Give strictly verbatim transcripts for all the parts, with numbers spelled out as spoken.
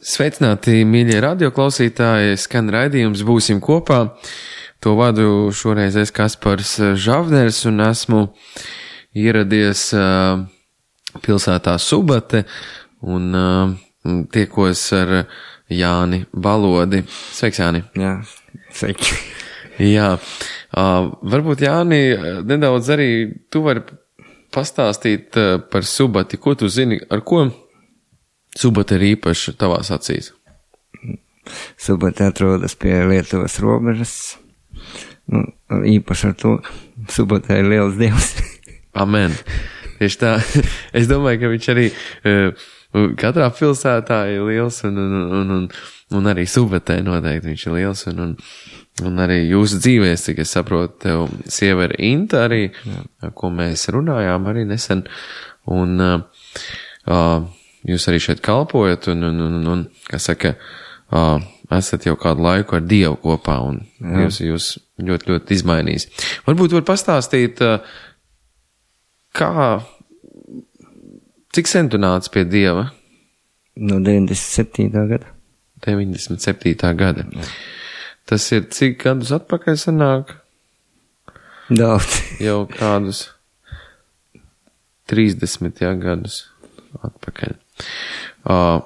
Sveicināti, mīļie radioklausītāji, skan raidījums Būsim kopā. To vadu šoreiz es Kaspars Žavners un esmu ieradies uh, pilsētā Subate un uh, tiekos ar Jāni Balodi. Sveiks, Jāni. Jā, sveiki. Jā, uh, varbūt Jāni, nedaudz arī tu vari pastāstīt uh, par Subati, ko tu zini, ar ko Subate ir īpaši tavās acīs? Subate atrodas pie Lietuvas robežas. Nu, īpaši ar to Subate ir liels dievs. Amen. Tieši tā. Es domāju, ka viņš arī uh, katrā pilsētā ir liels un, un, un, un, un arī Subatē noteikti viņš ir liels un, un, un arī jūsu dzīvēs, cik es saprotu, tev sieva ir Inta arī, Jā. Ko mēs runājām arī nesen. Un uh, uh, jūs arī šeit kalpojat un, un, un, un kā saka, uh, esat jau kādu laiku ar Dievu kopā un Jā. Dievs jūs ļoti, ļoti izmainīs. Varbūt var pastāstīt, uh, kā, cik sen tu nāc pie Dieva? No deviņdesmit septītā gada. deviņdesmit septītā gada. Jā. Tas ir cik gadus atpakaļ sanāk? Daudz. Jau kādus trīsdesmit jā, gadus atpakaļ. Uh,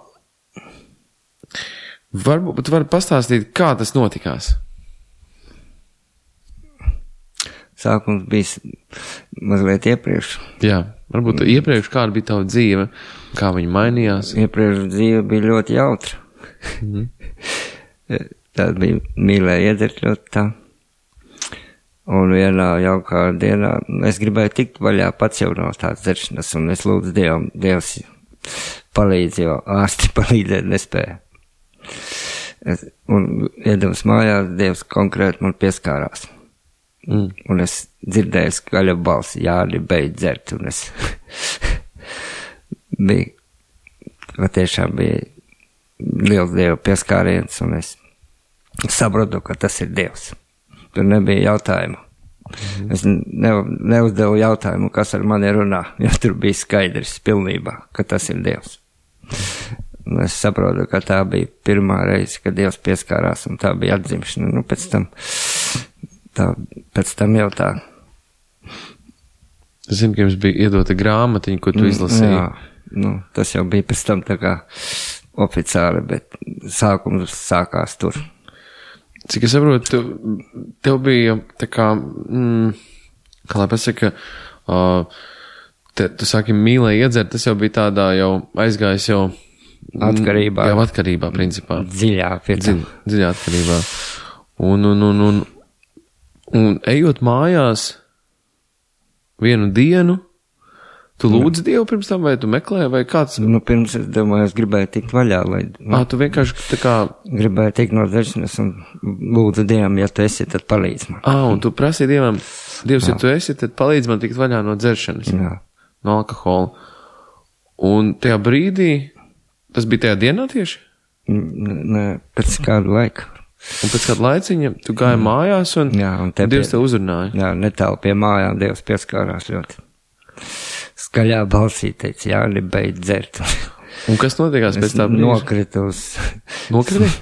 varbūt var pastāstīt, kā tas notikās? Sākums bija mazliet iepriekš. Jā, varbūt iepriekš kāda bija tava dzīve, kā viņa mainījās? Iepriekš dzīve bija ļoti jautra. Mm-hmm. Tā bija mīlēja iedzert ļoti tā. Un vienā jaukā dienā es gribēju tikt vaļā pats jau no tādas dzeršanas, un es lūdzu Dievam, Dievs palīdz, jo ārsti palīdzēt nespēja. Es, un iedams mājās, Dievs konkrēti man pieskārās. Mm. Un es dzirdēju skaļa balsi, Jāni, beidz dzert, un es bija, patiešām bija liels Dieva pieskāriens, un es saprotu, ka tas ir Dievs. Tur nebija jautājumu. Mm. Es ne, neuzdevu jautājumu, kas ar mani runā, jo tur bija skaidrs pilnībā, ka tas ir Dievs. Un es saprotu, ka tā bija pirmā reize, kad Dievs pieskārās, un tā bija atzimšana. Nu, pēc tam, tā, pēc tam jau tā. Es zinu, ka jums bija iedota grāmatiņa, ko tu izlasīji. Jā, nu, tas jau bija pēc tam tā kā oficiāli, bet sākums sākās tur. Cik es saprotu, tev, tev bija tā kā, mm, kā lai pasaka, uh, te, tu sāki mīlēji iedzert, tas jau bija tādā jau aizgājis jau atkarībā. Jau atkarībā, principā. Dziļā, Dziļ, dziļā atkarībā. Un, un, un, un, un ejot mājās vienu dienu, tu lūdzi Dievu pirms tam, vai tu meklēji, vai kāds? Nu, pirms es domāju, es gribēju tikt vaļā, lai... Ā, tu vienkārši tā kā... Gribēju tikt no dzeršanas un lūdzu Dievam, ja tu esi, tad palīdz man. Ā, un tu prasīji Dievam, Dievs, Jā. Ja tu esi, tad palīdz man tikt vaļā no dzeršanas. Jā. No alkohola. Un tajā brīdī, tas bija tajā dienā tieši? Nē, pēc kādu laiku. Un pēc kādu laiciņa tu gāji mm. mājās un, Jā, un te Dievs pie, tev uzrunāja? Jā, netālu pie mājām Dievs pieskārās ļoti. Skaļā balsī teica, Jāni, beidz dzert. Un kas notiekās pēc tā brīža? Nokrita uz... Nokrita? Uz,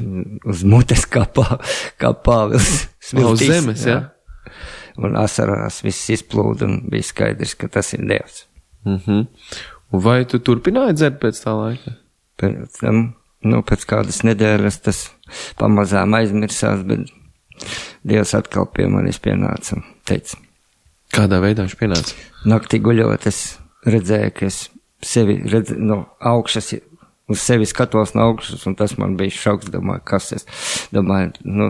uz mutes kā, pā, kā pāvils. Uz zemes, jā? jā. Un asarās viss izplūda un bija skaidrs, ka tas ir Dievs. Mhm. Un vai tu turpināji dzert pēc tā laika? Pēc tam, nu, pēc kādas nedēļas tas pamazām aizmirsās, bet Dievs atkal pie manis pienāca un teica. Kādā veidā viņš pienāca? Naktī guļot, es redzēju, ka es sevi redzu, no augšas, uz sevi skatos no augšas, un tas man bija šoks, domāju, kas es, domāju, nu,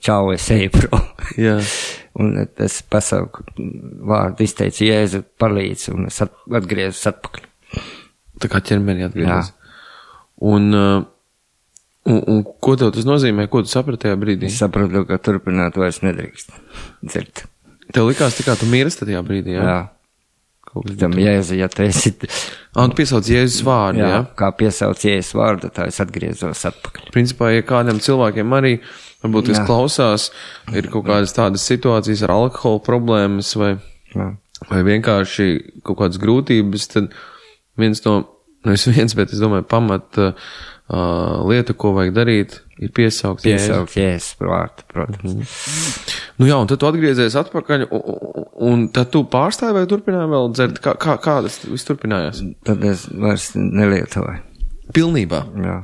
čau, es eju prom. Jā. Un es pasauku vārdu izteicu, Jēzu, palīdz, un es at, atgriezus atpakaļ. Tā kā ķermeni atgriezās. Un, un, un ko tev tas nozīmē, ko tu saprati tajā brīdī? Es sapratu, ka turpināt vairs nedrīkst dzert. Tev likās, tā kā tu mīrsti tajā brīdī, jā? Jā. Tam Jēzu, ja tu esi... Ā, un tu piesauc Jēzus vārdu, jā? Jā, kā piesauc Jēzus vārdu, tā es atgriezos atpakaļ. Principā, ja kādiem cilvēkiem arī, varbūt, kas klausās, ir kaut kādas tādas situācijas ar alkohola problēmas vai, vai vienkārši kaut kādas grūtības, tad viens no, nu es viens, bet es domāju, pamat uh, uh, lieta, ko vajag darīt, ir piesaukt Jēzu. Piesaukt Jēzus vārtu, protams. Mm. Nu jā, un tad tu atgriezies atpakaļ, un, un tad tu pārstāji vai turpināji vēl dzert? Kā, kā, kā tas viss turpinājās? Tad es vairs nelietoju. Pilnībā? Jā.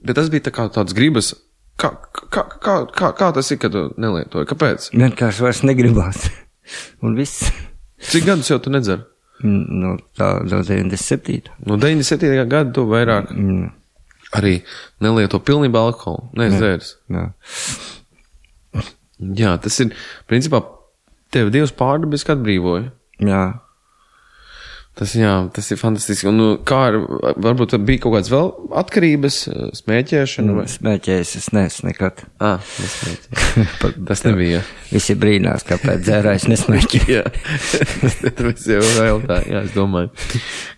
Bet tas bija tā kā tāds gribas, kā, kā, kā, kā, kā tas ir, kad tu nelietoji? Kāpēc? Vienkārši vairs negribās. Un viss. Cik gadus jau tu nedzer? No tā, no deviņdesmit septītā. No deviņdesmit septītā gada tu vairāk Mm. arī nelieto pilnībā alkoholu, neizdzēris. Jā. Jā, tas ir, principā, tev Dievs pārdabis, kad atbrīvoja. Jā. Tas, jā, tas ir fantastiski. Un, nu, kā ar, varbūt bija kaut kāds vēl atkarības, smēķēšana? Vai? Smēķējis es neesmu nekad. Ā, nesmēķēju. Tas nebija. Visi brīnās, kāpēc dzērājs nesmēķē. Jā, tas jau vēl tā, jā, es domāju,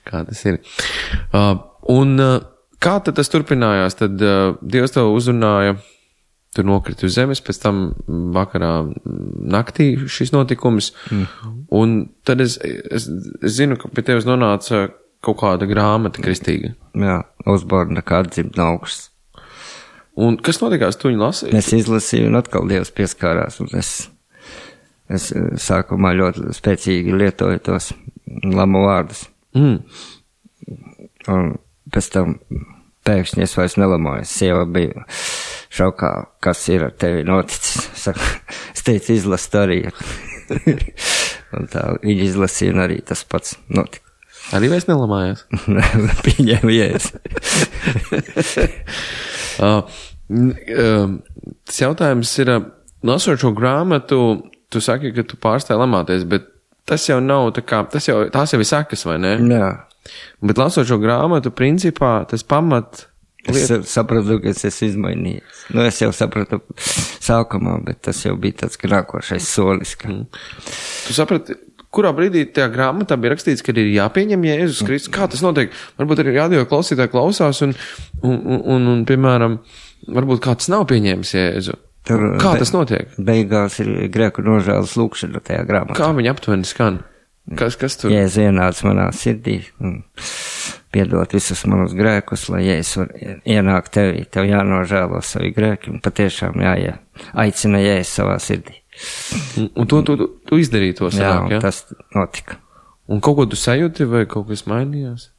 kā tas ir. Uh, un uh, kā tad tas turpinājās? Tad uh, Dievs tev uzrunāja, tur nokrita uz zemes, pēc tam vakarā naktī šis notikums, mm. un tad es, es, es zinu, ka pie tevis nonāca kaut kāda grāmata kristīga. Jā, uzborna kā atdzimt no augšas. Un kas notikās, tu viņu lasīji? Es izlasīju, un atkal Dievs pieskārās, un es, es sākumā ļoti spēcīgi lietoju tos lamu vārdus. Mm. Un pēc tam pēkšņi es vairs nelamājos. Sieva bija šaukā, kas ir ar tevi noticis. Saka, es teicu, izlast arī. Un tā viņa izlasīja, un arī tas pats notika. Arī vairs nelamājās? Pieņēmu jēs. uh, tas jautājums ir, lasot šo grāmatu, tu saki, ka tu pārstāji lamāties, bet tas jau nav tā kā, tas jau, tās jau ir sekas, vai ne? Jā. Bet lasot šo grāmatu, principā, tas pamat... Es sapratu, ka es esmu izmainījies. Nu, es jau sapratu sākumā, bet tas jau bija tāds nākošais solis. Ka... Mm. Tu saprati, kurā brīdī tajā grāmatā bija rakstīts, ka ir jāpieņem Jēzus Kristus? Kā tas notiek? Varbūt arī radio klausītāji klausās un, un, un, un, un, piemēram, varbūt kāds nav pieņēmis Jēzu. Tur, kā be, tas notiek? Beigās ir grēku nožēlas lūkšana tajā grāmatā. Kā viņa aptuveni skan? Kas, kas tur? Jēzus ienāca manā sirdī un piedot visus manus grēkus, lai Jēzus var ienākt tevī, tev jānožēlo savi grēki un patiešām jāie, aicina Jēzus savā sirdī. Un to tu, tu, tu izdarīji to sanāk, jā? Jā, ja? Tas notika. Un kaut ko tu sajūti vai kaut kas mainījās?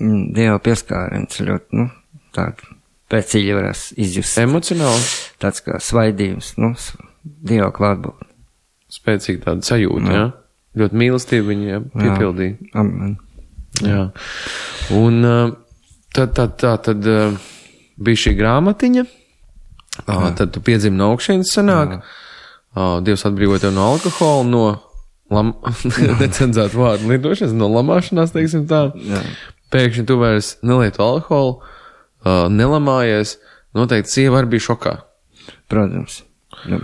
Dieva pieskāriens ļoti, nu, tādu pēcīgi varēs izjust. Emocionāli? Tāds kā svaidījums, nu, Dieva klātbūt. Spēcīgi tāda sajūta, jā? Ja? Ļoti mīlestība viņa piepildīja. Jā, amen. Jā. Un tad, tad, tā, tad bija šī grāmatiņa, jā. Tad tu piedzimi no augšienes sanāk, jā. Dievs atbrīvoja tev no alkohola, no lam... necenzētu vārdu lietošanas, no lamāšanās, teiksim tā. Jā. Pēkšņi tu vairs nelieto alkoholu, nelamājies, noteikti sieva arī bija šokā. Protams. Nu,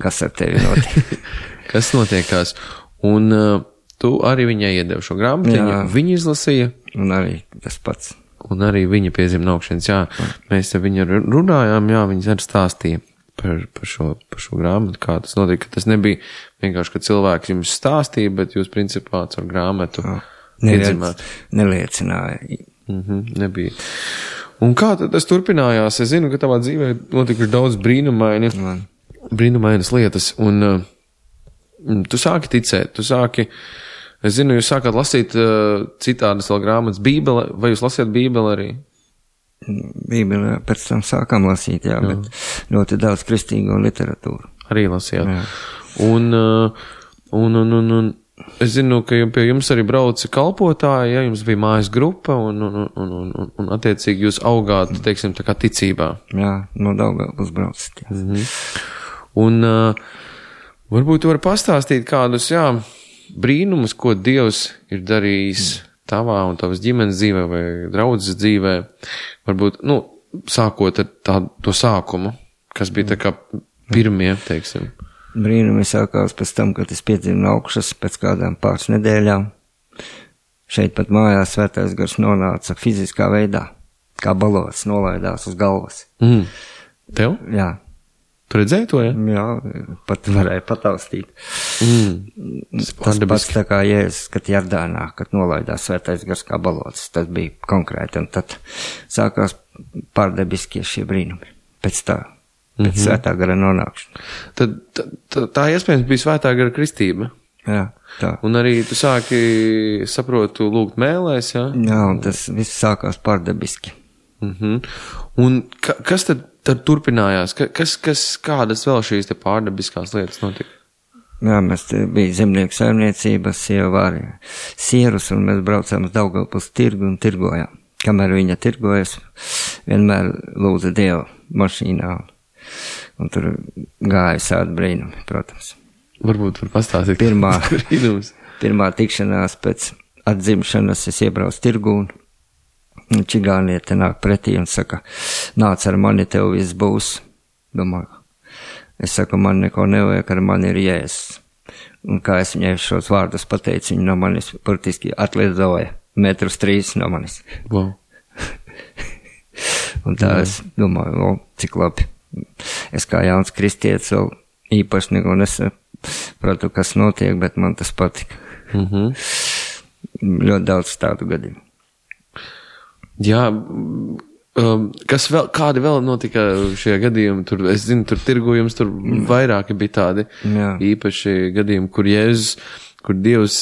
kas ar tevi notiek? Kas notiekās? Un uh, tu arī viņai iedevi šo grāmatiņu, viņa izlasīja. Un arī tas pats. Un arī viņa piedzima no augšienes, jā. Mēs ar viņu runājām, jā, viņas arī stāstīja par, par, šo, par šo grāmatu, kā tas notika. Tas nebija vienkārši, ka cilvēks jums stāstīja, bet jūs principā ar grāmatu iedzimāt. Neliecināja. Mhm, nebija. Un kā tad tas turpinājās? Es zinu, ka tavā dzīvē notikuši daudz brīnumaini, brīnumainas lietas, un uh, tu sāki ticēt, tu sāki, es zinu, jūs sākāt lasīt uh, citādas vēl grāmatas, Bībele, vai jūs lasījāt Bībeli arī? Bībeli pēc tam sākām lasīt, jā, jā. Bet ļoti daudz kristīgo literatūru. Arī lasījāt. Jā. Un, uh, un, un, un, un es zinu, ka pie jums arī brauca kalpotāji, ja jums bija mājas grupa, un, un, un, un, un, un attiecīgi jūs augāt, teiksim, tā kā ticībā. Jā, no Daugavpils braucat. Mhm. Un uh, varbūt tu vari pastāstīt kādus, jā, brīnumus, ko Dievs ir darījis tavā un tavas ģimenes dzīvē vai draudzes dzīvē. Varbūt, nu, sākot ar tā, to sākumu, kas bija tā kā pirmie, teiksim. Brīnumi sākās pēc tam, kad es piedzimu no augšas pēc kādām pāris nedēļām. Šeit pat mājās svētais gars nonāca fiziskā veidā, kā balots nolaidās uz galvas. Mm. Tev? Jā. Tu redzēji to, ja? Jā, pat varēja pataustīt. Mm. Tas pats tā kā Jēzus, kad Jardānā, kad nolaidās svētais gars kā balots, tas bija konkrēti, un tad sākās pārdebiskie šie brīnumi. Pēc tā, pēc mm-hmm. svētā gara nonākšana. Tad tā, tā, tā iespējams bija svētā gara kristība. Jā, tā. Un arī tu sāki, saprotu, lūgt mēlēs, jā? Jā, un tas viss sākās pārdebiski. Mm-hmm. Un ka, kas tad, tad turpinājās? Ka, kas, kas, kādas vēl šīs te pārdebiskās lietas notika? Jā, mēs te bija zemnieku saimniecība, sieva vārīja sierus, un mēs braucām uz Daugavpils tirgu un tirgojām. Kamēr viņa tirgojas, vienmēr lūdza Dievu mašīnā, un, un tur gāja sādi brīnumi, protams. Varbūt var pastāstīt. Pirmā, pirmā tikšanās pēc atzimšanas es iebraucu tirgu, un čigāniete nāk pretī un saka, nāc ar mani, tev viss būs. Domāju, es saku, man neko nevajag, ar mani ir Jēzus. Un kā es viņai šos vārdus pateicu, viņa no manis burtiski atlidoja metrus trīs no manis. Wow. Un tā wow. Es domāju, o, cik labi. Es kā jauns kristietis vēl īpaši neko nesapratu, kas notiek, bet man tas patika. Mhm. Ļoti daudz tādu gadījumu. Jā, um, kas vēl, kādi vēl notika šie gadījumi, tur, es zinu, tur tirgojums, tur vairāki bija tādi Jā. īpaši gadījumi, kur Jēzus, kur Dievs,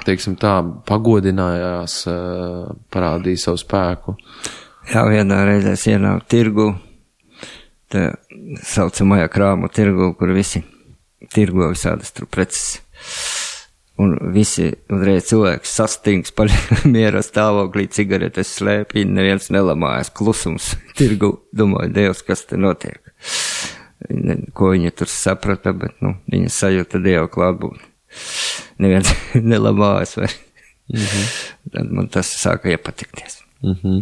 teiksim tā, pagodinājās, parādīja savu spēku. Jā, vienā reizē es ienāku tirgu, tā saucamajā krāmu tirgu, kur visi tirgo visādas tur preces. Un visi uzreiz cilvēks sastings par miera stāvoklī, cigaretes slēpī, neviens nelamājas, klusums tirgu, domāju, Dievs, kas te notiek. Ko viņi tur saprata, bet, nu, viņi sajūta Dieva klātbūtni. Neviens nelamājas vai. Mm-hmm. Tad man tas sāka iepatikties. Mm-hmm.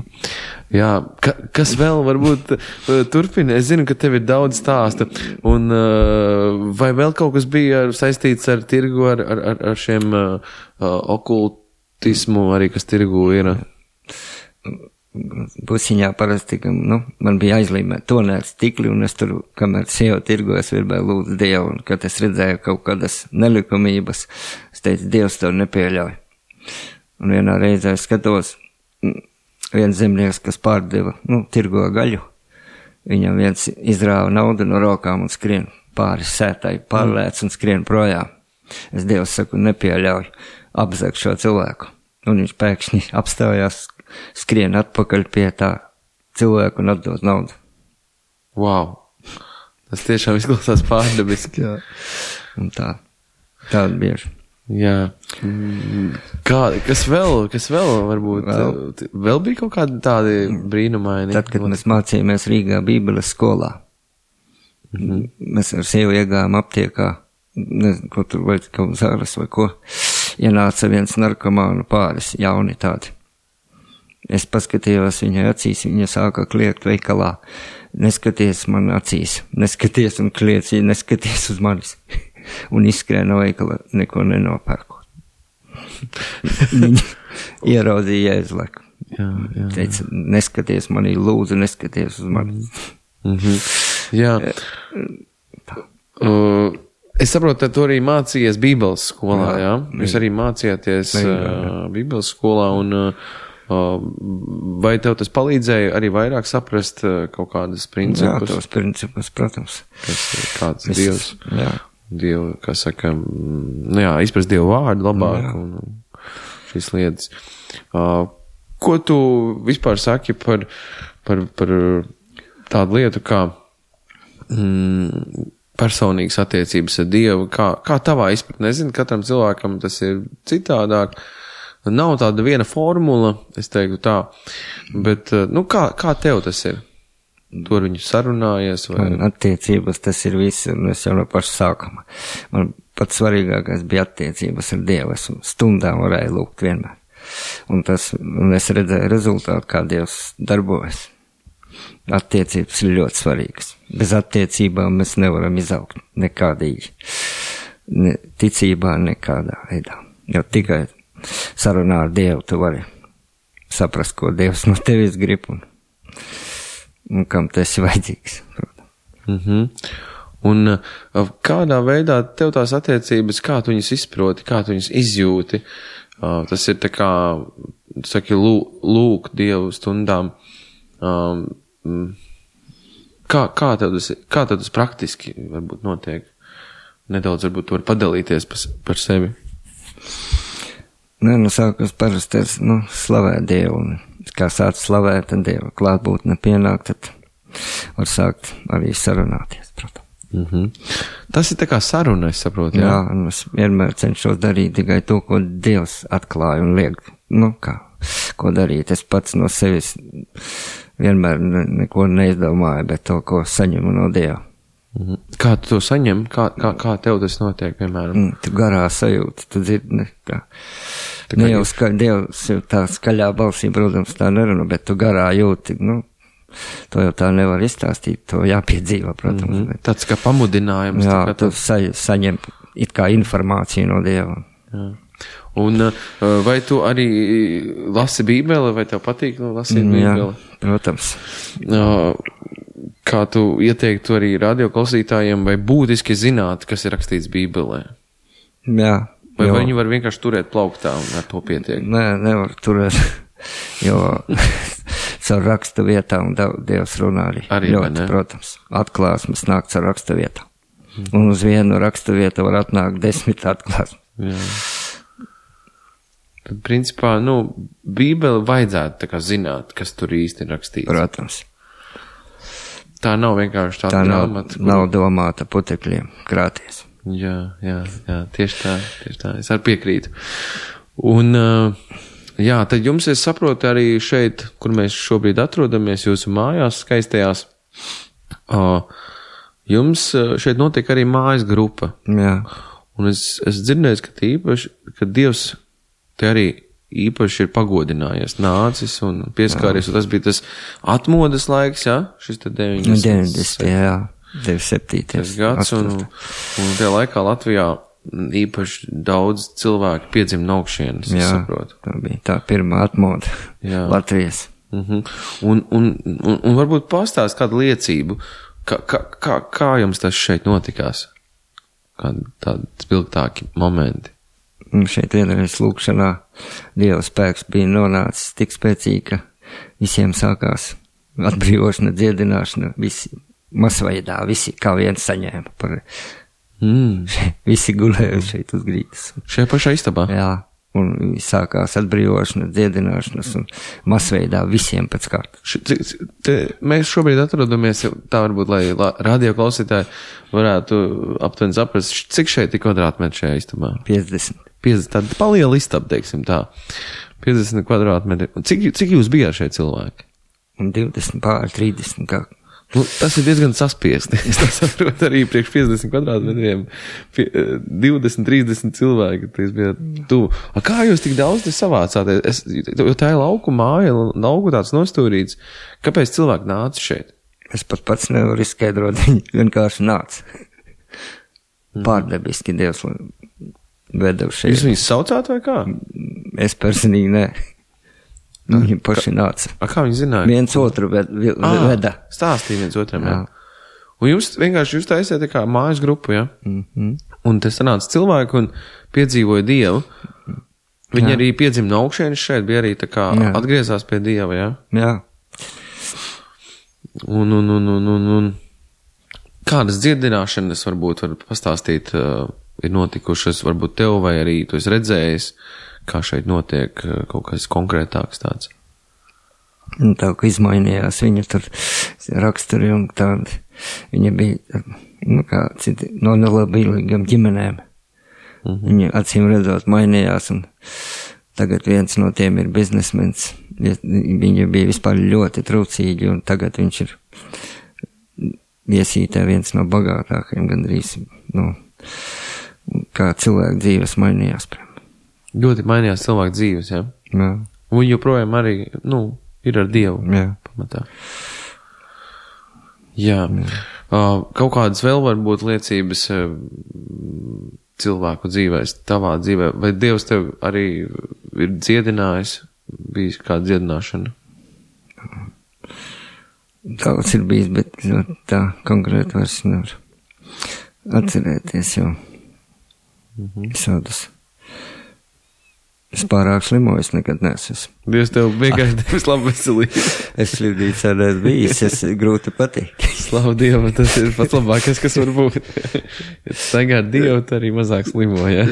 Jā, ka, kas vēl varbūt uh, turpina? Es zinu, ka tev ir daudz stāsta, un uh, vai vēl kaut kas bija saistīts ar tirgu, ar, ar, ar šiem uh, uh, okultismu, arī kas tirgu ir? Busiņā parasti, ka, nu, man bija aizlīmēt tonēts tikli, un es tur, kamēr sieva tirgojas, virbēju lūdzu Dievu, un kad es redzēju kaut kādas nelikumības, es teicu, Dievs to nepieļauj. Un vienā reizē es skatos, viens zemnieks, kas pārdeva, nu, tirgo gaļu, viņam viens izrāva naudu no rokām un skrien pāri sētai, pārlēc un skrien projām. Es Dievs saku, nepieļauju, apzag šo cilvēku. Un viņš pēkšņi apstājās, skrien atpakaļ pie tā cilvēku un atdod naudu. Wow! Tas tiešām izklausās pārdabiski. Jā. Un tā, tāda bieži. Jā. Kā, kas vēl, kas vēl varbūt, vēl, vēl bija kaut kādi tādi brīnumaini? Tad, kad mēs mācījāmies Rīgā Bībeles skolā, mm-hmm. mēs ar sievu iegājām aptiekā, nezinu, ko tur vai kaut zāles vai ko, ienāca viens narkomānu pāris, jauni tādi. Es paskatījos viņai acīs, viņa sāka kliegt veikalā, neskaties man acīs, neskaties un kliec, neskaties uz manis. Un izskrēja no veikala, neko nenopērkot. Viņa ieraudzīja Jēzleku. Jā, jā. Teica, neskaties manī, lūdzu, neskaties uz mani. Mm-hmm. Jā. Uh, es saprotu, ka tu arī mācījies Bībeles skolā, jā? jā? Jūs arī mācījāties uh, Bībeles skolā, un uh, vai tev tas palīdzēja arī vairāk saprast uh, kaut kādas principus? Jā, tos principus, protams. Kas, kāds es, Dievs? Jā. Dievu, kā saka, nu jā, izprast Dievu vārdu labāk jā. Un šīs lietas. Uh, ko tu vispār saki par, par, par tādu lietu kā mm, personīgas attiecības ar Dievu? Kā, kā tavā izpratnē? Es zinu, katram cilvēkam tas ir citādāk. Nav tāda viena formula, es teiktu tā, bet, nu, kā, kā tev tas ir? Tu ar viņu sarunājies? Vai? Man attiecības tas ir viss, un es jau no paša sākuma. Man pats svarīgākais bija attiecības ar Dievu. Es stundām varēju lūgt vienmēr. Un, tas, un es redzēju rezultātu, kā Dievs darbojas. Attiecības ir ļoti svarīgas. Bez attiecībām mēs nevaram izaugt nekādīgi. Ne, ticībā nekādā veidā. Jo tikai sarunā ar Dievu tu vari saprast, ko Dievs no tevis grib un un kam tas ir vajadzīgs. Mm-hmm. Un uh, kādā veidā tev tās attiecības, kā tu viņas izproti, kā tu viņas izjūti, uh, tas ir tā kā, tu saki, lū, lūk Dievu stundām, um, kā, kā tev tas, kā tev tas praktiski varbūt notiek? Nedaudz varbūt tu vari padalīties par, par sevi. Nē, nu sākums parasti ir, nu, slavēt Dievu, un kā sāc slavēt, tad Dieva klātbūtne pienāk, tad var sākt arī sarunāties, protams. Mm-hmm. Tas ir tā kā saruna, es saprotu, jā? Jā, un es vienmēr cenšos darīt tikai to, ko Dievs atklāja un liek, nu kā, ko darīt. Es pats no sevis vienmēr ne, neko neizdomāju, bet to, ko saņemu no Dieva. Mm-hmm. Kā tu to saņem? Kā, kā, kā tev tas notiek, piemēram? Mm, tu garā sajūti, tu dzirdi, ne, kā, tā kā ne jau ska, Dievs jau tā skaļā balsī, protams, tā nerunā, bet tu garā jūti, nu, to jau tā nevar izstāstīt, to jāpiedzīvo, protams. Mm-hmm. Bet, tāds kā pamudinājums. Jā, tā tu tā... sa, saņem it kā informāciju no Dieva. Jā. Un vai tu arī lasi Bībeli, vai tev patīk lasīt Bībeli? Jā, protams. Kā tu ieteiktu arī radioklausītājiem, vai būtiski zināt, kas ir rakstīts Bībelē? Jā. Vai, jo... vai viņi var vienkārši turēt plauktā un ar to pietiek? Nē, nevar turēt, jo caur rakstu vietām Dievs runā arī. Arī, ļoti, protams. Atklāsmes nāk caur rakstu vietām. Mm. Un uz vienu rakstu vietu var atnākt desmit atklāsmes. Jā. Tad, principā, nu, Bībeli vajadzētu tā kā zināt, kas tur īsti ir rakstīts. Protams. Tā nav vienkārši tāda tā grāmata. Tā nav, nav domāta putekļiem krāties. Jā, jā, jā, tieši tā, tieši tā. Es arī piekrītu. Un, jā, tad jums, es saprotu, arī šeit, kur mēs šobrīd atrodamies, jūsu mājās skaistajās, jums šeit notiek arī mājas grupa. Jā. Un es, es dzirdēju, ka īpaši, ka Dievs te arī īpaši ir pagodinājies, nācis un pieskāries, un tas bija tas atmodas laiks, jā? Šis te deviņdesmit. deviņdesmit, jā, deviņdesmit septītais gads, un, un tajā laikā Latvijā īpaši daudz cilvēku piedzim no augšienes, es saprotu. Tā bija tā pirmā atmoda jā. Latvijas. Uh-huh. un, un, un, un varbūt pastāst kādu liecību, kā, kā, kā, kā jums tas šeit notikās? Kādi tādi spilgtāki momenti? Un šeit vienreiz lūkšanā Dieva spēks bija nonācis tik spēcīgi, ka visiem sākās atbrīvošana, dziedināšana, visi masveidā, visi kā viens saņēma par, mm. visi gulēja šeit uz grīdas. Šajā pašā istabā? Jā, un sākās atbrīvošana, dziedināšanas un masveidā visiem pēc kārtas. Te, mēs šobrīd atrodamies, tā varbūt, lai radio klausītāji varētu aptuveni saprast, cik šeit ir kvadrātmetri šajā istabā? piecdesmit. piecdesmit, tāda paliela istaba, teiksim tā. piecdesmit kvadrātmetri. Cik, cik jūs bijāt šeit cilvēki? Un divdesmit pār trīsdesmit kā. Nu, tas ir diezgan saspiesti. Es tā saprotu arī priekš piecdesmit kvadrātmetriem. divdesmit, trīsdesmit cilvēki. Tas bija tuvu. A, kā jūs tik daudz te savācāties? Es, jo tā ir lauku māja, lauku tāds nostūrīts. Kāpēc cilvēki nāca šeit? Es pat pats nevaru izskaidrot. Viņi vienkārši nāca. Pārdebiski Dievs veda uz šeit. Jūs viņus saucāt vai kā? Es personīgi nē. Nu, viņi paši nāca. A, kā viņi zināja? Viens otru ved, veda. À, stāstīja viens otram, jā. jā. Un jūs vienkārši jūs taisiet tā kā mājas grupu, jā? Mm-hmm. Un te sanāca cilvēki un piedzīvoja Dievu. Viņi jā. arī piedzima no augšienes šeit, bija arī tā kā jā. Atgriezās pie Dieva, jā? Jā. Un, un, un, un, un, un kādas dziedināšanas varbūt var pastāstīt, uh, ir notikušas varbūt tev vai arī tu esi redzējis, kā šeit notiek kaut kas konkrētāks tāds? Tā, ka izmainījās viņa tur raksturi un tādi. Viņa bija, nu kā citi, no nelabīgām ģimenēm. Mm-hmm. Viņa acīm redzot mainījās un tagad viens no tiem ir biznesmens. Viņa bija vispār ļoti trūcīgi un tagad viņš ir viesītē viens no bagātākajiem gandrīz, nu, kā cilvēku dzīves mainījās. Ļoti mainījās cilvēku dzīves, jā? Jā. Un viņi joprojām arī, nu, ir ar Dievu. Jā. Pamatā. Jā. Jā. Uh, kaut kādas vēl varbūt liecības uh, cilvēku dzīvēs, tavā dzīvē, vai Dievs tev arī ir dziedinājis, bijis kāda dziedināšana? Daudz ir bijis, bet tā konkrēti vairs nevar. atcerēties jau mm-hmm. visādus. Es pārāk slimoju, es nekad neesmu. Dievs tev vienkārši devis labu veselību. Es slimnīcā neesmu bijis, es grūti pateikt. Slavu Dievu, tas ir pats labākais, kas var būt. Ja tu staigā ar Dievu, tu arī mazāk slimo, ja?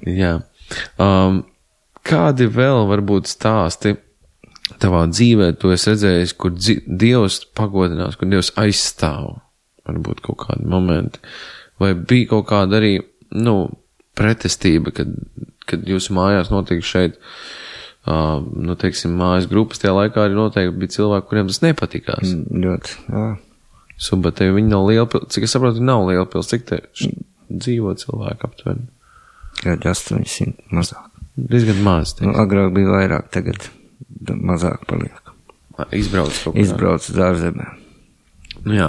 Jā. Um, kādi vēl varbūt stāsti tavā dzīvē, tu esi redzējis, kur dzi- Dievs pagodinās, kur Dievs aizstāv? Varbūt kaut kādi momenti. Vai bija kaut kāda arī, nu, pretestība, kad, kad jūsu mājās notiek šeit, uh, nu, teiksim, mājas grupas, tajā laikā arī noteikti bija cilvēki, kuriem tas nepatikās. Mm, ļoti, jā. Subatē, viņi nav liela pils, cik es saprotu, nav liela pils, cik te š- dzīvo cilvēki aptuveni? Kādi astoņsimt mazāk. Diezgan maz, Nu, teiksim. agrāk bija vairāk, tagad mazāk paliek. Izbrauc kaut kā. Izbrauc uz ārzemēm. Nu, jā.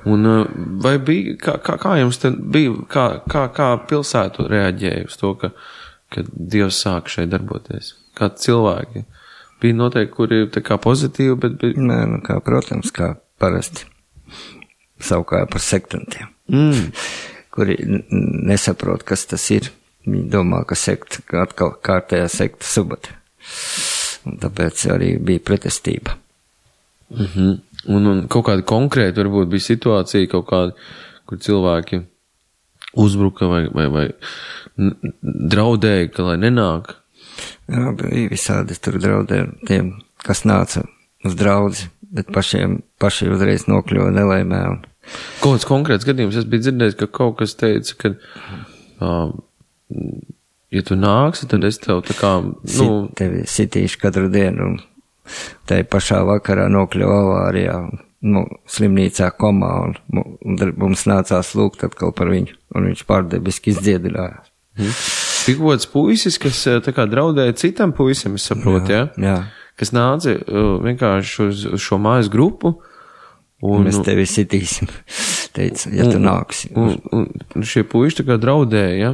Un uh, vai bija, kā, kā, kā jums tad bija, kā, kā, kā pilsētu reaģēja uz to, ka, ka Dievs sāk šeit darboties? Kā cilvēki? Bija noteikti, kuri tā kā pozitīvi, bet bija... Nē, nu kā, protams, kā parasti. Savukārt par sektantiem, Mm. kuri n- n- nesaprot, kas tas ir. Viņi domā, ka sekta, ka atkal kārtējā sekta Subate. Un tāpēc arī bija pretestība. Mhm. Un, un kaut kāda konkrēta varbūt bija situācija, kaut kāda, kur cilvēki uzbruka vai, vai, vai n- draudēja, ka lai nenāk. Jā, bija visādi tur draudēja tiem, kas nāca uz draudzi, bet pašiem, paši uzreiz nokļuva nelaimē. Un... Kaut kāds konkrēts gadījums, es biju dzirdējis, ka kaut kas teica, ka, uh, ja tu nāksi, tad es tev tā kā, nu, Sit, tevi sitīšu katru dienu, un tai pašā vakarā nokļuva avārijā, nu, slimnīcā komā, un, un mums nācās lūgt atkal par viņu, un viņš pārdebiski izdziedinājās. hmm. Tik kāds puisis, kas uh, tā kā draudēja citam puisim, es saprotu, ja? Jā, Kas nāca uh, vienkārši uz, uz šo mājas grupu, un, mēs tevi sitīsim, teica, ja tu nāksi. un, un, un šie puiši tā kā draudēja, ja?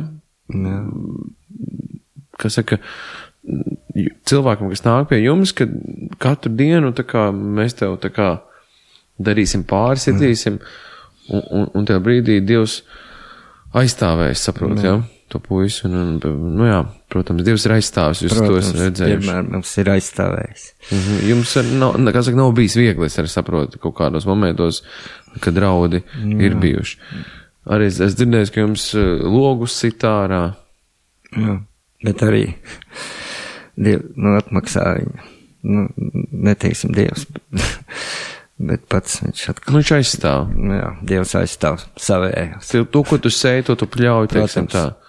Jā. Kas saka, cilvēkam, kas nāk pie jums, ka katru dienu tā kā mēs tev tā kā darīsim pāri, sitīsim, un, un, un tajā brīdī Dievs aizstāvēs, saprot, jā, to puisi, un, un, nu jā, protams, Dievs ir aizstāvis, jūs to esat redzējuši. Vienmēr mums ir aizstāvējis. Mhm. Jums ar, nav, kā saka, nav bijis viegli, es arī saprotu, kaut kādos momentos, kad draudi ir bijuši. Arī es, es dzirdēju, ka jums uh, logus sitārā. Jā, bet arī Diev, nu, atmaksā viņu. Nu, neteiksim Dievs, bet, bet pats viņš atkal. Nu, viņš aizstāv. Jā, Dievs aizstāv savējos. Tev to, ko tu sēji, to tu pļauj, teiksim Protams. tā.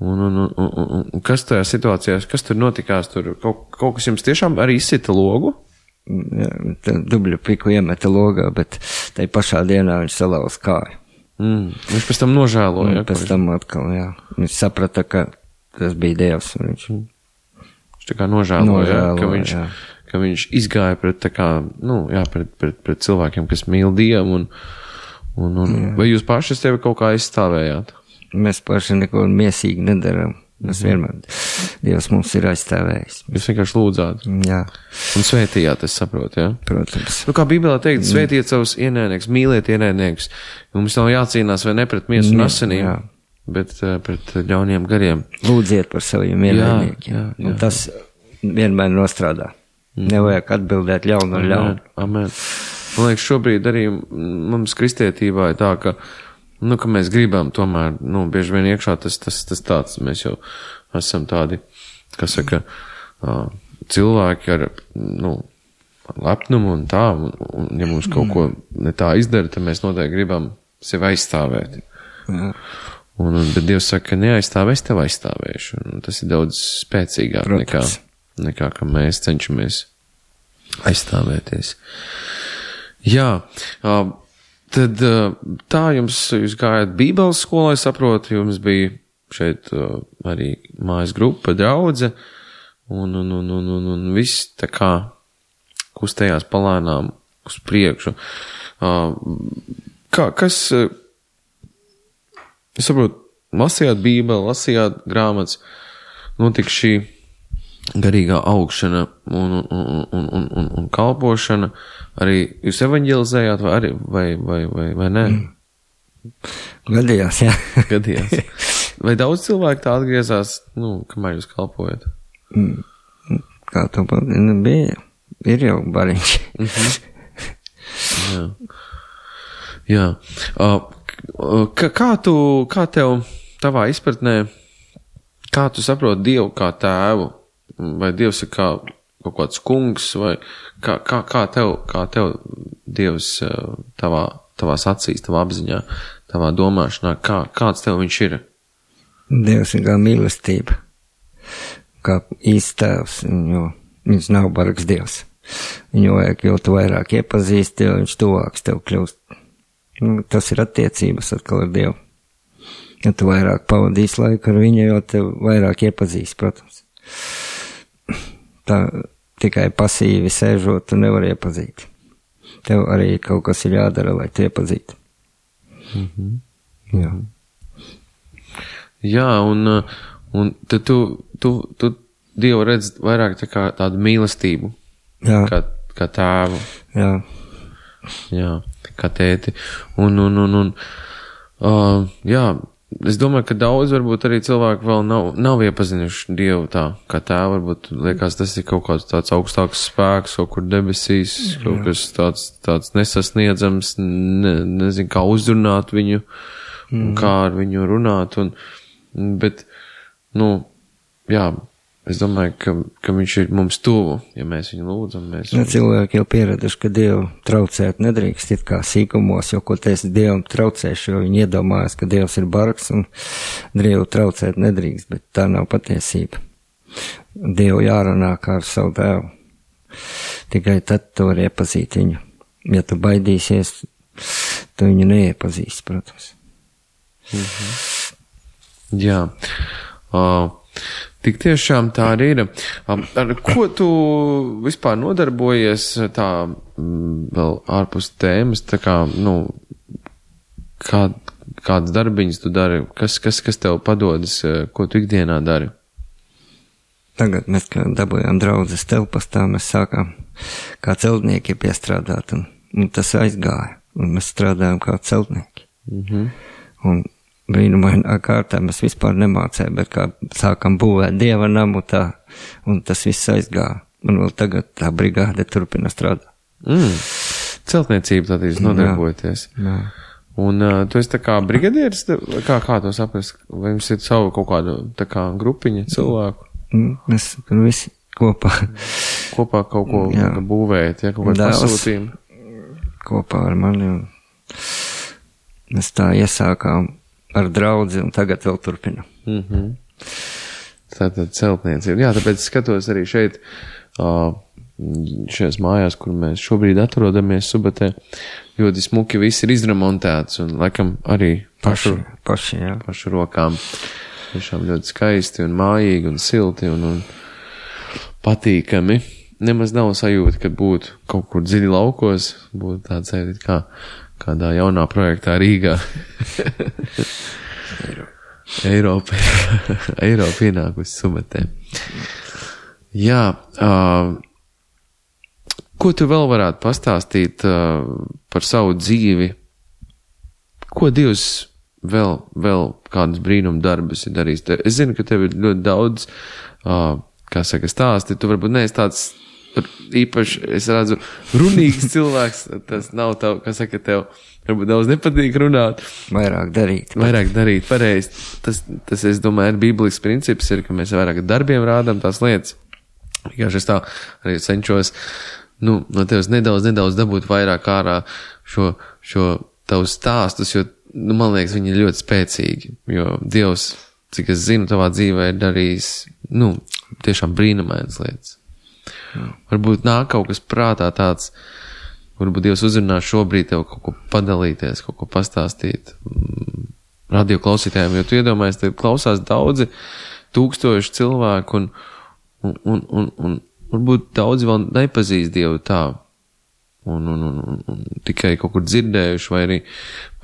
Un, un, un, un, un, un kas tajā situācijā, kas tur notikās? Tur kaut, kaut kas jums tiešām arī izsita logu? Jā, dubļu piku iemeta logā, bet tai pašā dienā viņš salauz kāju. Mm. Viņš pēc tam nožēloja. Un Ja, pēc tam atkal, jā. Viņš saprata, ka tas bija Dievs. Un viņš viņš tā kā nožēloja, ja, nožēloja, ka, viņš, jā. ka viņš izgāja pret, tā kā, nu, jā, pret, pret, pret cilvēkiem, kas mīl Dievu. Un, un, un, vai jūs paši tevi kaut kā aizstāvējāt? Mēs paši neko miesīgi nedaram. Mēs vienmēr, Dievs mums ir aizstāvējis. Jūs vienkārši lūdzāt Jā, un svētījāt, es saprotu, ja? protams. Nu, kā Bībelē teikt, svētiet savus ienaidniekus, mīliet ienaidniekus. Mums nav jācīnās vai ne pret miesu un Jā, asinīm, jā. bet uh, pret ļauniem gariem. Lūdziet par saviem ienaidniekiem. jā, jā. Un tas vienmēr nostrādā. Nevajag atbildēt ļaunu ar ļaunu. Amen. Man liekas, šobrīd arī mums kristietībā ir tā, ka, nu, ka mēs gribam tomēr, nu, bieži vien iekšā tas, tas, tas tāds, mēs jau esam tādi, kas saka, uh, cilvēki ar, nu, lepnumu un tā, un, un ja mums kaut ko ne tā izdara, tad mēs noteikti gribam sevi aizstāvēt. Jā. Un, un, bet Dievs saka, ka neaizstāv, es tev aizstāvēšu. Un tas ir daudz spēcīgāk nekā, Protams. nekā, ka mēs cenšamies aizstāvēties. Jā, uh, tad uh, tā jums, jūs gājāt Bībeles skolā, es saprotu, jums bija šeit uh, arī mājas grupa, draudze, un, un, un, un, un, un viss tā kā kustējās palēnām uz priekšu. Uh, kā, kas, uh, es saprotu, lasījāt Bībeli, lasījāt grāmatas, notika šī garīgā augšana un, un, un, un, un, un, un kalpošana, arī jūs evaņģelizējāt vai arī, vai, vai, vai, vai nē? Gadījās, jā. Gadījās. Vai daudz cilvēku tā atgriezās, nu, kamēr jūs kalpojat? Kā to nu, bija? Ir jau bariņš. Jā. Jā. Uh, kā, kā tu, kā tev tavā izpratnē, kā tu saproti Dievu kā tēvu? Vai Dievs ir kā kaut kāds kungs, vai kā, kā, kā tev, kā tev Dievs tavā, tavās acīs, tavā apziņā, tavā domāšanā, kā, kāds tev viņš ir? Dievs ir kā mīlestība, kā īsts tēvs, jo viņš nav bargs Dievs. Viņu vajag, jo tu vairāk iepazīsti, jo viņš tuvāks tev kļūst. Nu, tas ir attiecības atkal ar Dievu. Ja tu vairāk pavadīsi laiku ar viņu, jo tev vairāk iepazīsti, protams. Tā tikai pasīvi sēžot, tu nevar iepazīt. Tev arī kaut kas ir jādara, lai tu iepazītu. Mm-hmm. Jā. Jā, un, un tad tu, tu, tu Dievu redz vairāk tā kā tādu mīlestību, Jā. Kā, kā tēvu. Jā. Jā, kā tēti. Un, un, un, un uh, jā, es domāju, ka daudz varbūt arī cilvēku vēl nav, nav iepazinuši Dievu tā, kā tēvu. Varbūt liekas, tas ir kaut kāds tāds augstāks spēks, kaut kur debesīs, kaut Jā. Kas tāds, tāds nesasniedzams, ne, nezinu, kā uzrunāt viņu, mm. un kā ar viņu runāt. Un, bet, nu, jā, es domāju, ka, ka viņš ir mums tuvu, ja mēs viņu lūdzam. Mēs ja, cilvēki jau pieraduši, ka Dievu traucēt nedrīkst, it kā sīkumos, jo ko teiks Dievam traucēšu, jo viņi iedomājas, ka Dievs ir bargs un Dievu traucēt nedrīkst, bet tā nav patiesība. Dievu jārunā kā ar savu tēvu. Tikai tad tu vari iepazīt viņu. Ja tu baidīsies, tu viņu neiepazīsi, protams. Mhm. Jā. Uh, Tik tiešām tā arī ir. Ar ko tu vispār nodarbojies tā vēl ārpus tēmas, tā kā, nu, kā, kādas darbiņas tu dari, kas, kas, kas tev padodas, ko tu ikdienā dari? Tagad mēs, kā dabūjām draudzes telpas, tā mēs sākām kā celtnieki piestrādāt, un, un tas aizgāja, un mēs strādājām kā celtnieki. Mhm. Un brīnumainā kārtā mēs vispār nemācējām, bet kā sākam būvēt Dieva namu tā, un tas viss aizgāja. Un vēl tagad tā brigāde turpina strādāt. Mm. Celtniecība tad jūs nodarbojaties. Jā. Un uh, tu esi tā kā brigadieris, kā, kā to saprast? Vai jums ir savu kaut kādu tā kā grupiņa cilvēku? Mm, mēs visi kopā. Kopā kaut ko jā. Būvējat, ja, kaut kādu pasūtījumu? Kopā ar mani. Un mēs tā iesākām ar draudzi, un tagad vēl turpina. Mm-hmm. Tātad celtniecība. Jā, tāpēc skatos arī šeit, šajās mājās, kur mēs šobrīd atrodamies Subatē, ļoti smuki viss ir izremontēts, un laikam arī pašu, paši, paši, jā. pašu rokām. Tiešām ļoti skaisti un mājīgi un silti un, un patīkami. Nemaz nav sajūta, ka būtu kaut kur dziļi laukos, būtu tāds sajūta kā kādā jaunā projektā Rīgā. Eiropa. Eiropa ienākusi Subatē. Jā, uh, ko tu vēl varētu pastāstīt uh, par savu dzīvi? Ko Dievs vēl, vēl kādus brīnumu darbus ir darījis? Es zinu, ka tev ir ļoti daudz, uh, kā saka, stāsti. Tu varbūt neesi tāds īpaši, es redzu, runīgs cilvēks, tas nav tev, kā saka, tev varbūt daudz nepatīk runāt. Vairāk darīt. Vairāk darīt, pareizi. Tas, tas, es domāju, ir bīblisks princips, ir, ka mēs vairāk darbiem rādām tās lietas. Vienkārši es tā arī cenšos, nu, no tevis nedaudz, nedaudz dabūt vairāk ārā šo, šo tavus stāstus, jo, nu, man liekas, viņi ir ļoti spēcīgi, jo Dievs, cik es zinu, tavā dzīvē ir darījis, nu, tiešām brīnumainas lietas. Jā. Varbūt nāk kaut kas prātā tāds, varbūt Dievs uzrunā šobrīd tev kaut ko padalīties, kaut ko pastāstīt radio klausītājiem, jo tu iedomājies, te klausās daudzi tūkstoši cilvēku un, un, un, un, un varbūt daudzi vēl nepazīst Dievu tā un, un, un, un, un tikai kaut kur dzirdējuši vai arī,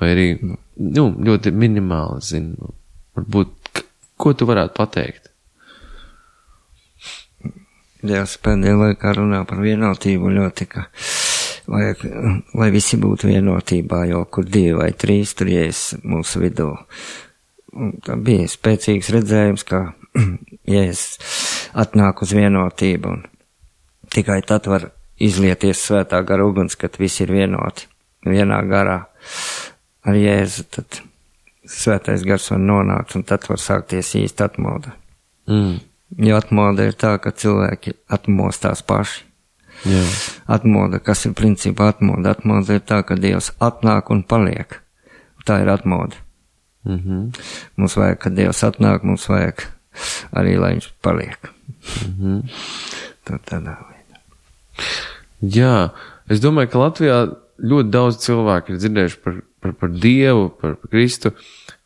vai arī nu, ļoti minimāli zinu. Varbūt, ko tu varētu pateikt? Dievs pēdējā laikā runā par vienotību ļoti, ka vajag, lai visi būtu vienotībā, jo kur divi vai trīs tur ies mūsu vidū. Un tā bija spēcīgs redzējums, ka Jēzus atnāk uz vienotību un tikai tad var izlieties svētā gara uguns, kad visi ir vienoti, vienā garā ar Jēzu, tad svētais gars var nonākt un tad var sākties īsti atmoda. Mm. Jo atmoda ir tā, ka cilvēki atmostās paši. Jā. Atmoda, kas ir principā atmoda? Atmoda ir tā, ka Dievs atnāk un paliek. Tā ir atmoda. Mm-hmm. Mums vajag, kad Dievs atnāk, mums vajag arī, lai viņš paliek. Mm-hmm. Tad tādā veidā. Jā, es domāju, ka Latvijā ļoti daudz cilvēku ir dzirdējuši par, par, par Dievu, par, par Kristu,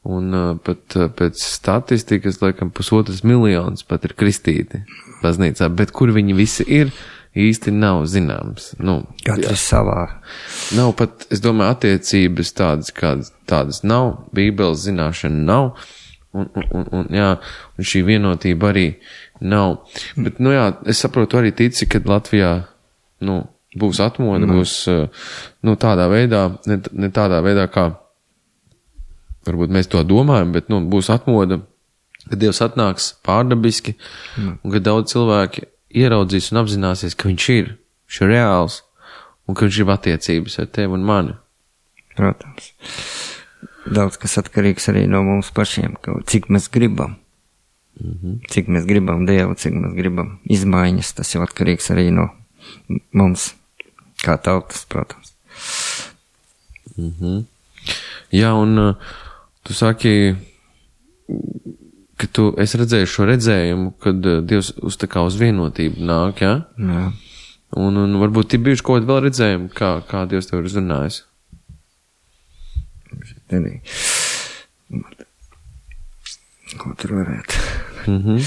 un uh, pat uh, pēc statistikas, laikam, pusotras miljonus pat ir kristīti baznīcā, bet kur viņi visi ir, īsti nav zināms. Nu, Katrs savā. Nav pat, es domāju, attiecības tādas, kādas tādas nav, Bībeles zināšana nav, un, un, un, un, jā, un šī vienotība arī nav. Bet, nu jā, es saprotu arī tici, kad Latvijā, nu, būs atmoda, mm. būs, nu, tādā veidā, ne, ne tādā veidā, kā varbūt mēs to domājam, bet, nu, būs atmoda, kad Dievs atnāks pārdabiski, mm. un kad daudz cilvēki ieraudzīs un apzināsies, ka viņš ir, viņš ir reāls, un ka viņš ir attiecības ar tevi un mani. Protams. Daudz kas atkarīgs arī no mums pašiem, ka cik mēs gribam. Mm-hmm. Cik mēs gribam Dievu, cik mēs gribam izmaiņas, tas jau atkarīgs arī no mums, kā tautas, protams. Mm-hmm. Jā, un uh, tu saki, ka tu, es redzēju šo redzējumu, kad uh, Dievs uz tā kā uz vienotību nāk, jā? Jā. Un, un varbūt ir bijuši kaut kādi vēl redzējumi, kā, kā Dievs tev ir uzrunājis. Arī. Ko tur varētu? Mhm.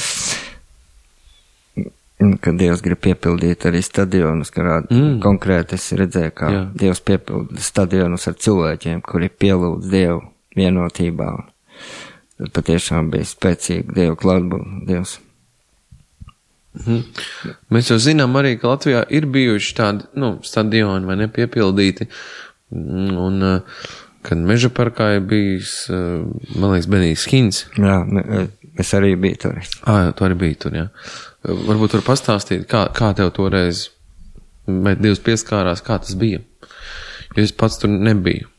Kad Dievs grib piepildīt arī stadionus, kā mm. konkrēti es redzēju, kā Jā. Dievs piepilda stadionus ar cilvēkiem, kuri pielūdz Dievu vienotībā. Tad patiešām bija spēcīgi Dievu klātbūtne, Dievs. Mm. Mēs jau zinām arī, ka Latvijā ir bijuši tādi, nu, stadioni vai nepiepildīti, un kad Meža parkā ir bijis, man liekas, Benijs Hins. Jā, es arī biju tur. Ā, tu arī biji tur, jā. Varbūt var pastāstīt, kā, kā tev toreiz, vai Dievs pieskārās, kā tas bija? Jo es pats tur nebiju.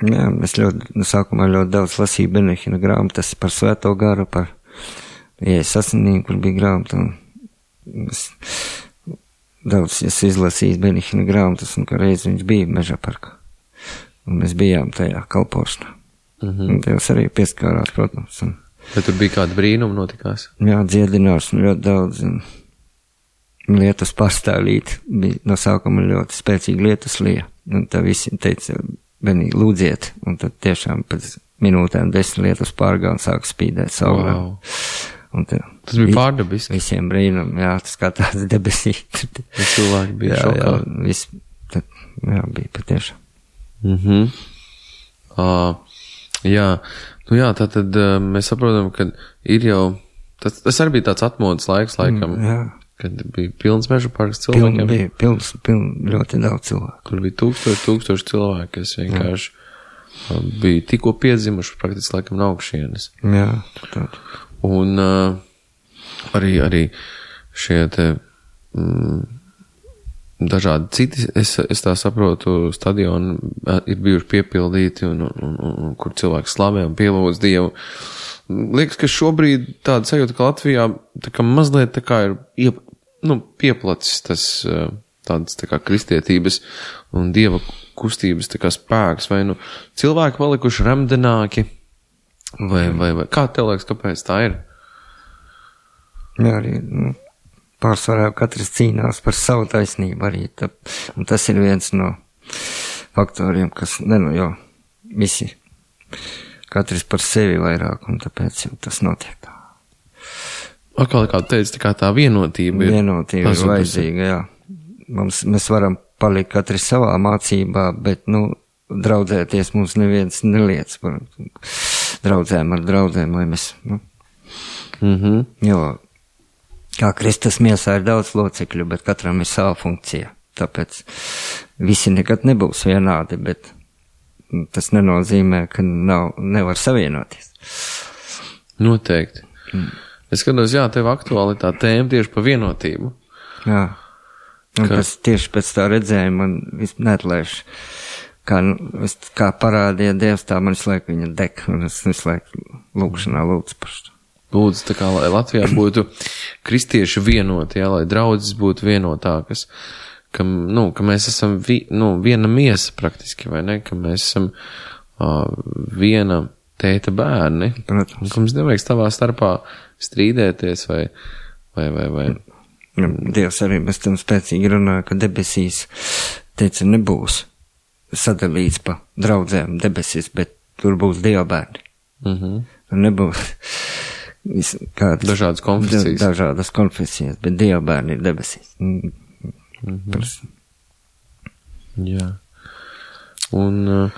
Jā, es ļoti, no sākumā ļoti daudz lasīju Benihina grāmatas par svēto garu, par Jēzus asinīm, kur bija grāmata, un es daudz es izlasīju Benihina grāmatas, un kā reiz viņš bija Meža parkā. Un mēs bijām tajā kalpošanā. Mm-hmm. Un Dievs arī pieskārās, protams. Un, vai tur bija kāda brīnuma notikās? Jā, dziedināšana ļoti daudz. Un lietus pārstāvīt. Bija no sākuma ļoti spēcīga lietus lija. Un tā visi teica, Benī, lūdziet. Un tad tiešām pēc minūtēm desmit lietus pārgā un sāk spīdēt saulē. Wow. Un tā, tas bija pārdabiski. Visiem brīnum, jā, tas kā tāds debesīt. Cilvēki bija jā, šokā. Jā, viss, tad, jā, bija patiešām. Mhm. Uh, jā, nu jā, tātad uh, mēs saprotam, ka ir jau, tas, tas arī bija tāds atmodas laiks, laikam, mm, jā. Kad bija pilns Meža parks cilvēkiem. Piln, bija pilns, piln, ļoti daudz cilvēku. Tur bija tūkstoši, tūkstoši cilvēki, kas vienkārši uh, bija tikko piedzimuši praktiski laikam no augšienes. Jā, tā. Un uh, arī, arī šie te mm, dažādi citi, es, es tā saprotu, stadioni ir bijuši piepildīti un, un, un, un kur cilvēki slavē un pielūdz Dievu. Liekas, ka šobrīd tāda sajūta, ka Latvijā tā kā mazliet tā kā ir iep, nu, pieplacis tas tādas tā kā kristietības un Dieva kustības tā kā spēks, vai nu cilvēki palikuši remdenāki, vai, vai, vai kā tev liekas, kāpēc tā ir? Jā, arī, nu, pārsvarā katrs cīnās par savu taisnību arī, tā, un tas ir viens no faktoriem, kas, ne, nu, jo, visi, katrs par sevi vairāk, un tāpēc jau tas notiek tā. Atkal, kā teici, tā kā tā vienotība ir. Vienotība ir vajadzīga, jā. Mums, mēs varam palikt katrs savā mācībā, bet, nu, draudzēties mums neviens neliec par draudzēm ar draudzēm, lai mēs, nu, mm-hmm. jo, Kā Kristus miesā ir daudz locekļu, bet katram ir sava funkcija. Tāpēc visi nekad nebūs vienādi, bet tas nenozīmē, ka nav, nevar savienoties. Noteikti. Mm. Es skatos, jā, tev aktuāli tā tēma tieši par vienotību. Jā. Un ka... tas tieši pēc tā redzējuma man viss neatlaiž. Kā, es, kā parādīja Dievs, tā man visu laiku viņa deg, un es visu laiku lūkšanā lūdzu par šo. Lūdzu, tā kā, lai Latvijā būtu kristieši vienoti, jā, lai draudzes būtu vienotākas, ka, nu, ka mēs esam vi, nu, viena miesa praktiski, vai ne, ka mēs esam uh, viena tēta bērni, Protams. Un ka mums nevajag savā starpā strīdēties, vai, vai, vai, vai. Ja, Dievs arī bez tam spēcīgi runāja, ka debesīs, teica, nebūs sadalīts pa draudzēm debesīs, bet tur būs Dieva bērni. Mhm. Tur nebūs kādas dažādas konfesijas. Da, dažādas konfesijas, bet Dieva bērni ir debesīs. Mm. Mhm. Jā. Un,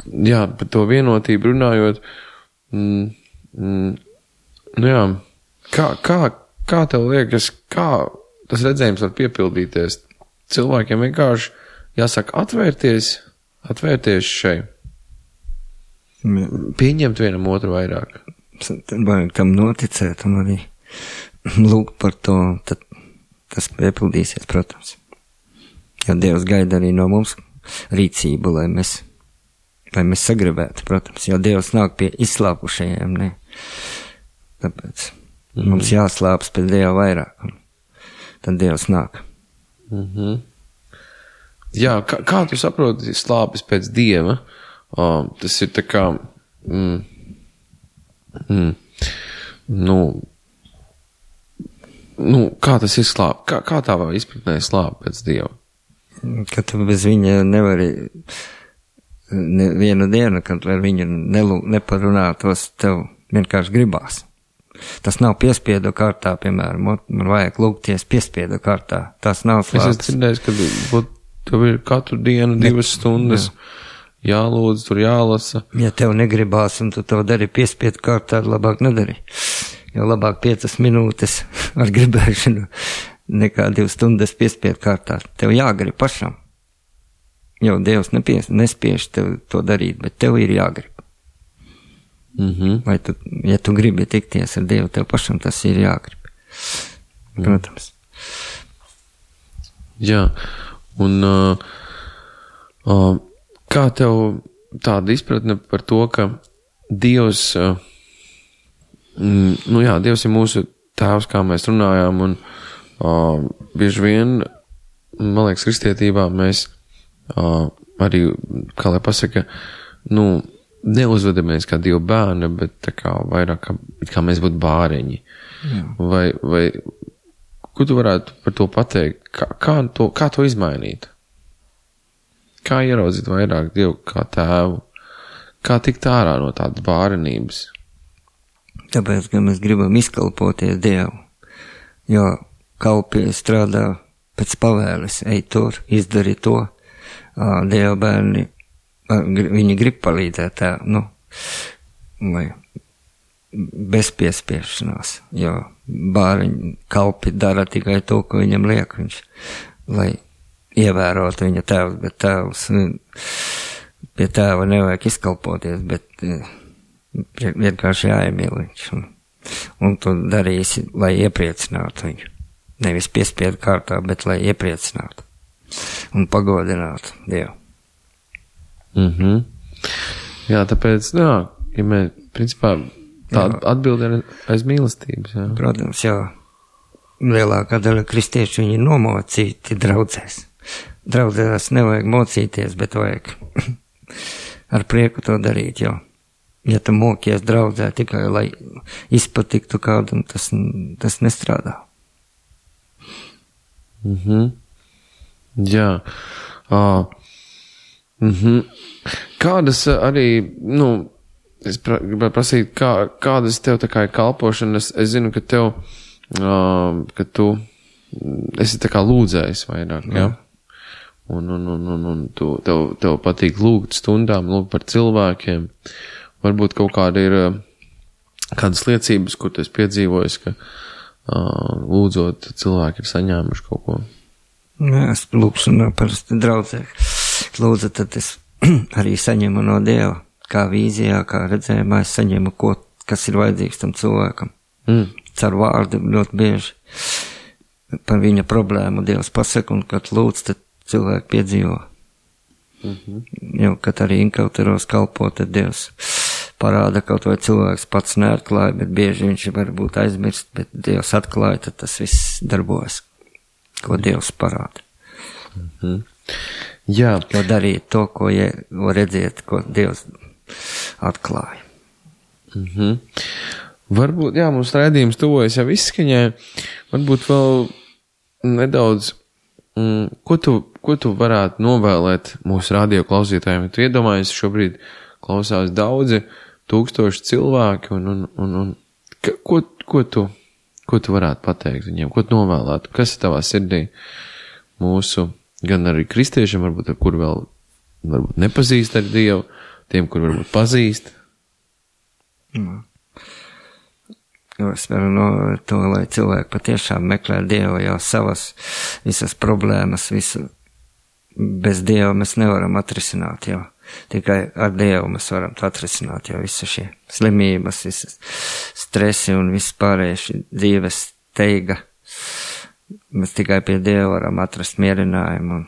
jā, par to vienotību runājot, mm, mm, nu jā, kā, kā, kā tev liekas, kā tas redzējums var piepildīties? Cilvēkiem vienkārši jāsaka atvērties, atvērties šai, pieņemt vienam otru vairāk. Tad vajag tam noticēt un arī lūgt par to, tad tas piepildīsies, protams. Jo Dievs gaida arī no mums rīcību, lai mēs, lai mēs sagribētu, protams, jo Dievs nāk pie izslāpušajiem, ne? Tāpēc mm. mums jāslāps pēc Dieva vairāk, un tad Dievs nāk. Mhm. Jā, kā, kā tu saproti slāpes pēc Dieva? Uh, tas ir tā kā, mm, mm, nu, nu, kā tas ir slāp? Kā, kā tā vai izpratnē slāp pēc Dieva? Ka tu bez viņa nevari ne, vienu dienu, kad ar viņu nelū, neparunātos, tev vienkārši gribās. Tas nav piespiedu kārtā, piemēram, man vajag lūgties piespiedu kārtā. Tas nav slāpes. Es esmu dzirdējis, ka būt, tev ir katru dienu divas stundas jā. jālūdz, tur jālasa. Ja tev negribās un tu to dari piespiedu kārtā, labāk nedari. Jo labāk piecas minūtes ar gribēšanu nekā divas stundas piespiedu kārtā. Tev jāgrib pašam. Jo Dievs nepies, nespiež tev to darīt, bet tev ir jāgrib. Mm-hmm. Vai tu, ja tu gribi tikties ar Dievu, tev pašam tas ir jāgrib. Protams. Jā. Un uh, uh, kā tev tāda izpratne par to, ka Dievs, uh, mm, nu jā, Dievs ir mūsu tēvs, kā mēs runājām, un uh, bieži vien, man liekas, kristietībā mēs uh, arī, kā lai pasaka, nu, neuzvedamies kā Dieva bērni, bet tā kā vairāk, kā, kā mēs būtu bāreņi. Jā. Vai, vai, ko tu varētu par to pateikt? Kā, kā, to, kā to izmainīt? Kā ieraudzīt vairāk Dievu kā tēvu? Kā tikt ārā no tādas bārenības? Tāpēc, ka mēs gribam izkalpoties Dievu. Jo kalpi strādā pēc pavēles. Ej tur, izdari to. Dieva bērni, viņi grib palīdzēt tā, nu, vai bez piespiešanās, jo bāriņi kalpi dara tikai to, ko viņam liek, viņš, lai ievērotu viņa tēvs, bet tēvs, pie tēva nevajag izkalpoties, bet vienkārši jāiemīl viņš, un, un tu darīsi, lai iepriecinātu viņu, nevis piespiedu kārtā, bet lai iepriecinātu un pagodinātu Dievu. Mhm. Jā, tāpēc, jā, ja mēs, principā, tā atbilde ir aiz mīlestības, jā. Protams, jā. Lielākā daļa kristiešu viņi nomocīti draudzēs. Draudzēs nevajag mocīties, bet vajag ar prieku to darīt, jo, ja tu mokies draudzē tikai, lai izpatiktu kādam, tas, tas nestrādā. Mhm. Jā. Uh, mhm. Kādas arī, nu, es pra, gribētu prasīt, kā, kādas tev tā kā ir kalpošana, es, es zinu, ka tev, uh, ka tu esi tā kā lūdzējis vairāk, jā? Ja? Un, un, un, un, un tu, tev, tev patīk lūgt stundām, lūgt par cilvēkiem. Varbūt kaut kāda ir, kādas liecības, kur tu esi piedzīvojis, ka uh, lūdzot cilvēki ir saņēmuši kaut ko? Nē, es lūkšu no parasti draudzē. Lūdzu, tad es arī saņemu no Dieva, kā vīzijā, kā redzējumā, es saņemu, ko, kas ir vajadzīgs tam cilvēkam. Mm. Caur vārdu ļoti bieži par viņa problēmu Dievs pasaka, un kad lūdz, tad cilvēki piedzīvo. Mm-hmm. Jo, kad arī inkauteros kalpo, tad Dievs parāda, kaut vai cilvēks pats neatklāja, bet bieži viņš var būt aizmirst, bet Dievs atklāja, tad tas viss darbojas, ko Dievs parāda. Mm-hmm. Jā. Jo darīt to, ko je, redziet, ko Dievs atklāja. Mm-hmm. Varbūt, jā, mums raidījums tuvojas jau izskaņai, varbūt vēl nedaudz, mm, ko tu, ko tu varētu novēlēt mūsu radio klausītājiem? Tu iedomājies, šobrīd klausās daudzi tūkstoši cilvēki, un, un, un, un ko, ko, tu, ko tu varētu pateikt viņiem, ko tu novēlētu, kas ir tavā sirdī mūsu, gan arī kristiešiem, varbūt ar kur vēl varbūt nepazīst ar Dievu, tiem, kur varbūt pazīst? Mm. Jo es varu novērt to, lai cilvēki patiešām meklē Dievu jau savas visas problēmas, visu bez Dieva mēs nevaram atrisināt jau. Tikai ar Dievu mēs varam atrisināt jau visu šie slimības, visas stresi un viss pārējais dzīves steiga. Mēs tikai pie Dieva varam atrast mierinājumu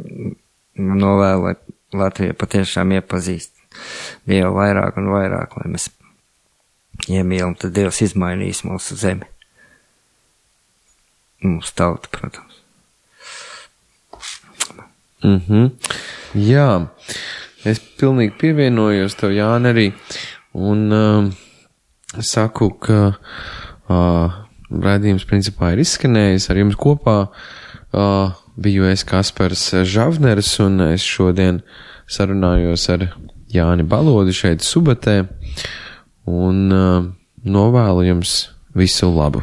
un novēlu, lai Latvija patiešām iepazīst Dievu vairāk un vairāk, lai mēs iemīlam, tad Dievs izmainīs mūsu zemi. Mūsu tautu, protams. Mhm. Jā, es pilnīgi pievienojos tev, Jāni, arī, un uh, saku, ka uh, raidījums principā ir izskanējis ar jums kopā. Uh, biju es Kaspars Žavners, un es šodien sarunājos ar Jāni Balodi šeit Subatē, un uh, novēlu jums visu labu.